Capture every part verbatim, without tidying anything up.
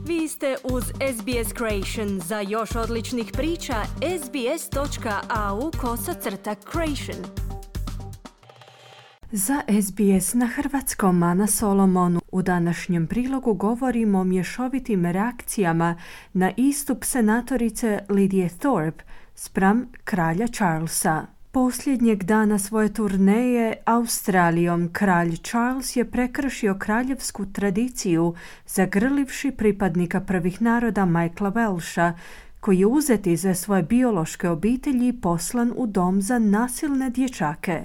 Vi ste uz S B S Creation. Za još odličnih priča, sbs.au kosacrta creation. Za S B S na hrvatskom Ana Solomon. U današnjem prilogu govorimo o mješovitim reakcijama na istup senatorice Lidije Thorpe spram kralja Charlesa. Posljednjeg dana svoje turneje Australijom kralj Charles je prekršio kraljevsku tradiciju zagrlivši pripadnika prvih naroda Michaela Welsha, koji je uzet iz svoje biološke obitelji i poslan u dom za nasilne dječake.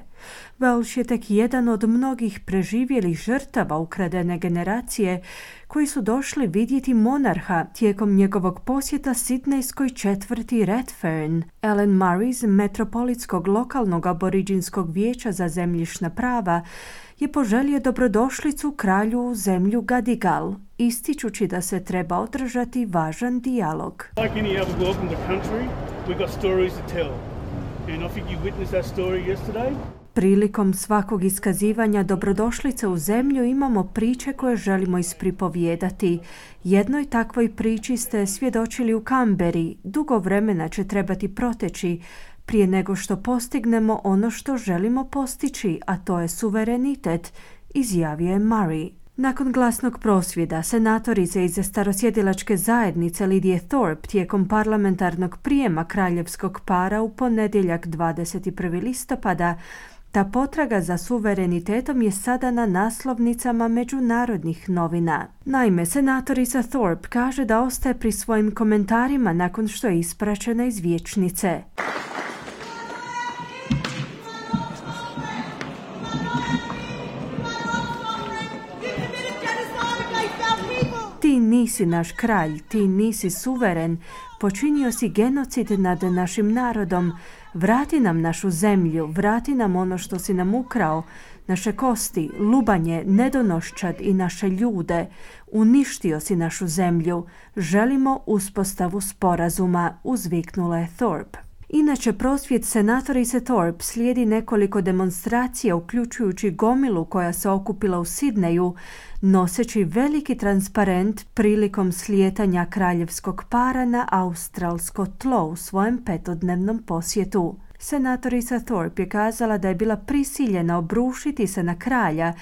Welsh je tek jedan od mnogih preživjelih žrtava ukradene generacije koji su došli vidjeti monarha tijekom njegovog posjeta sidnejskoj četvrti Redfern. Ellen Murray iz Metropolitskog lokalnog aboriđinskog vijeća za zemljišna prava je poželio dobrodošlicu kralju u zemlju Gadigal, ističući da se treba održati važan dijalog. Like any other welcome to country, we've got stories to tell. And I think you witnessed that story yesterday. Prilikom svakog iskazivanja dobrodošlice u zemlju imamo priče koje želimo ispripovijedati. Jednoj takvoj priči ste svjedočili u Canberri. Dugo vremena će trebati proteći prije nego što postignemo ono što želimo postići, a to je suverenitet, izjavio je Murray. Nakon glasnog prosvjeda, senatorice iz starosjedilačke zajednice Lidije Thorpe tijekom parlamentarnog prijema kraljevskog para u ponedjeljak dvadeset prvog listopada, ta potraga za suverenitetom je sada na naslovnicama međunarodnih novina. Naime, senatorica Thorpe kaže da ostaje pri svojim komentarima nakon što je ispraćena iz vijećnice. Ti nisi naš kralj, ti nisi suveren, počinio si genocid nad našim narodom, vrati nam našu zemlju, vrati nam ono što si nam ukrao, naše kosti, lubanje, nedonoščad i naše ljude, uništio si našu zemlju, želimo uspostavu sporazuma, uzviknula je Thorpe. Inače, prosvjed senatorice Thorpe slijedi nekoliko demonstracija, uključujući gomilu koja se okupila u Sidneju, noseći veliki transparent prilikom slijetanja kraljevskog para na australsko tlo u svojem petodnevnom posjetu. Senatorica Thorpe je kazala da je bila prisiljena obrušiti se na kralja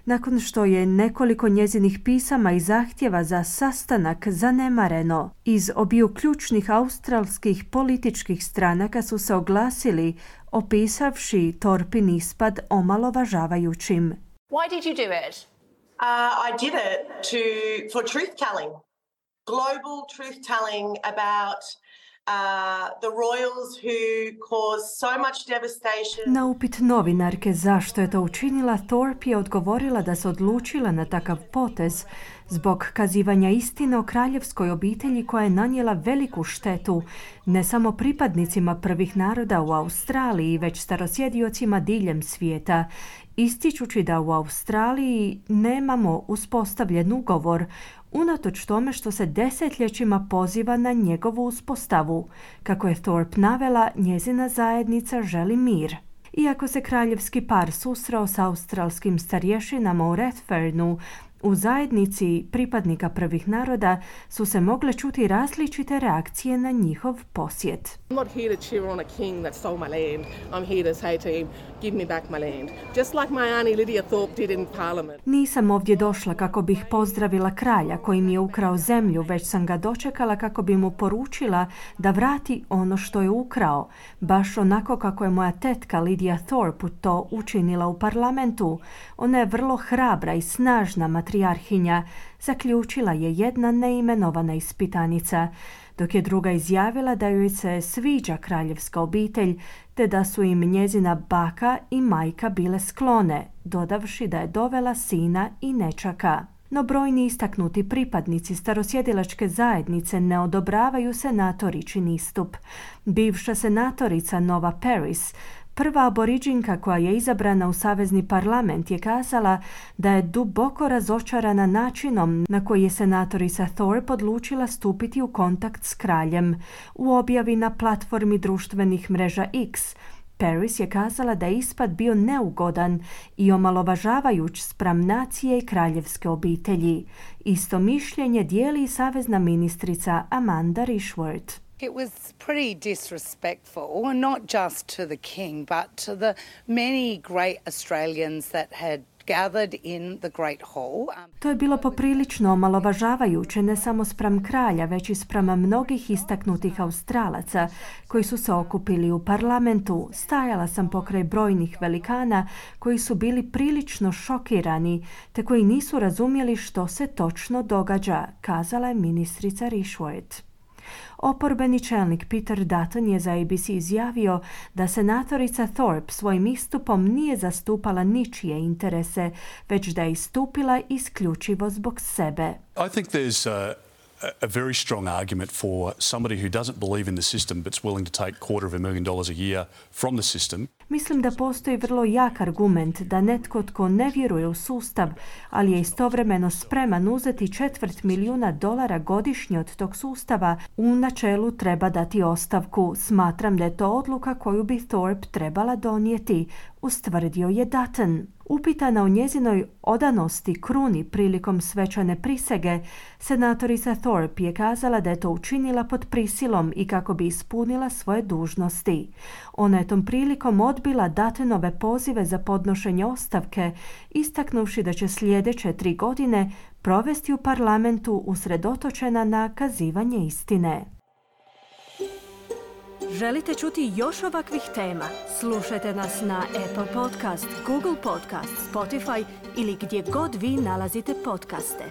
nakon što je nekoliko njezinih pisama i zahtjeva za sastanak zanemareno. Iz obiju ključnih australskih političkih stranaka su se oglasili, opisavši Thorpin ispad omalovažavajućim. Why did you do it? Uh, I did it to for truth telling, global truth telling about Uh, the royals who caused so much devastation. Na upit novinarke zašto je to učinila, Thorpe je odgovorila da se odlučila na takav potez zbog kazivanja istine o kraljevskoj obitelji koja je nanijela veliku štetu ne samo pripadnicima prvih naroda u Australiji, već starosjediocima diljem svijeta, ističući da u Australiji nemamo uspostavljen ugovor, unatoč tome što se desetljećima poziva na njegovu uspostavu. Kako je Thorpe navela, njezina zajednica želi mir. Iako se kraljevski par susreo s australskim starješinama u Redfernu, u zajednici pripadnika prvih naroda su se mogle čuti različite reakcije na njihov posjet. I'm not here to cheer on a king that stole my land. I'm here to say to him, give me back my land. Just like my auntie Lydia Thorpe did in Parliament. Nisam ovdje došla kako bih pozdravila kralja koji mi je ukrao zemlju, već sam ga dočekala kako bi mu poručila da vrati ono što je ukrao, baš onako kako je moja tetka Lydia Thorpe to učinila u parlamentu. Ona je vrlo hrabra i snažna matrijarhinja, zaključila je jedna neimenovana ispitanica, dok je druga izjavila da joj se sviđa kraljevska obitelj, te da su im njezina baka i majka bile sklone, dodavši da je dovela sina i nečaka. No brojni istaknuti pripadnici starosjedilačke zajednice ne odobravaju senatoričin istup. Bivša senatorica Nova Paris, prva aboriđinka koja je izabrana u savezni parlament, je kazala da je duboko razočarana načinom na koji je senatorica Thorpe odlučila stupiti u kontakt s kraljem. U objavi na platformi društvenih mreža X, Paris je kazala da je ispad bio neugodan i omalovažavajuć spram nacije i kraljevske obitelji. Isto mišljenje dijeli i savezna ministrica Amanda Rishworth. It was pretty disrespectful, not just to the king, but to the many great Australians that had gathered in the Great Hall. To je bilo poprilično omalovažavajuće ne samo spram kralja, već i spram mnogih istaknutih Australaca koji su se okupili u parlamentu. Stajala sam pokraj brojnih velikana koji su bili prilično šokirani, te koji nisu razumjeli što se točno događa, kazala je ministrica Rishworth. Oporbeni čelnik Peter Dutton je za A B C izjavio da senatorica Thorpe svojim istupom nije zastupala ničije interese, već da je istupila isključivo zbog sebe. I think there's a, a very strong argument for somebody who doesn't believe in the system but's willing to take quarter of a million dollars a year from the system. Mislim da postoji vrlo jak argument da netko tko ne vjeruje u sustav, ali je istovremeno spreman uzeti četvrt milijuna dolara godišnje od tog sustava, u načelu treba dati ostavku. Smatram da je to odluka koju bi Thorpe trebala donijeti, ustvrdio je Dutton. Upitana o njezinoj odanosti kruni prilikom svečane prisege, senatorica Thorpe je kazala da je to učinila pod prisilom i kako bi ispunila svoje dužnosti. Ona je tom prilikom odbila Duttonove pozive za podnošenje ostavke, istaknuvši da će sljedeće tri godine provesti u parlamentu usredotočena na kazivanje istine. Želite čuti još ovakvih tema? Slušajte nas na Apple Podcast, Google Podcast, Spotify ili gdje god vi nalazite podcaste.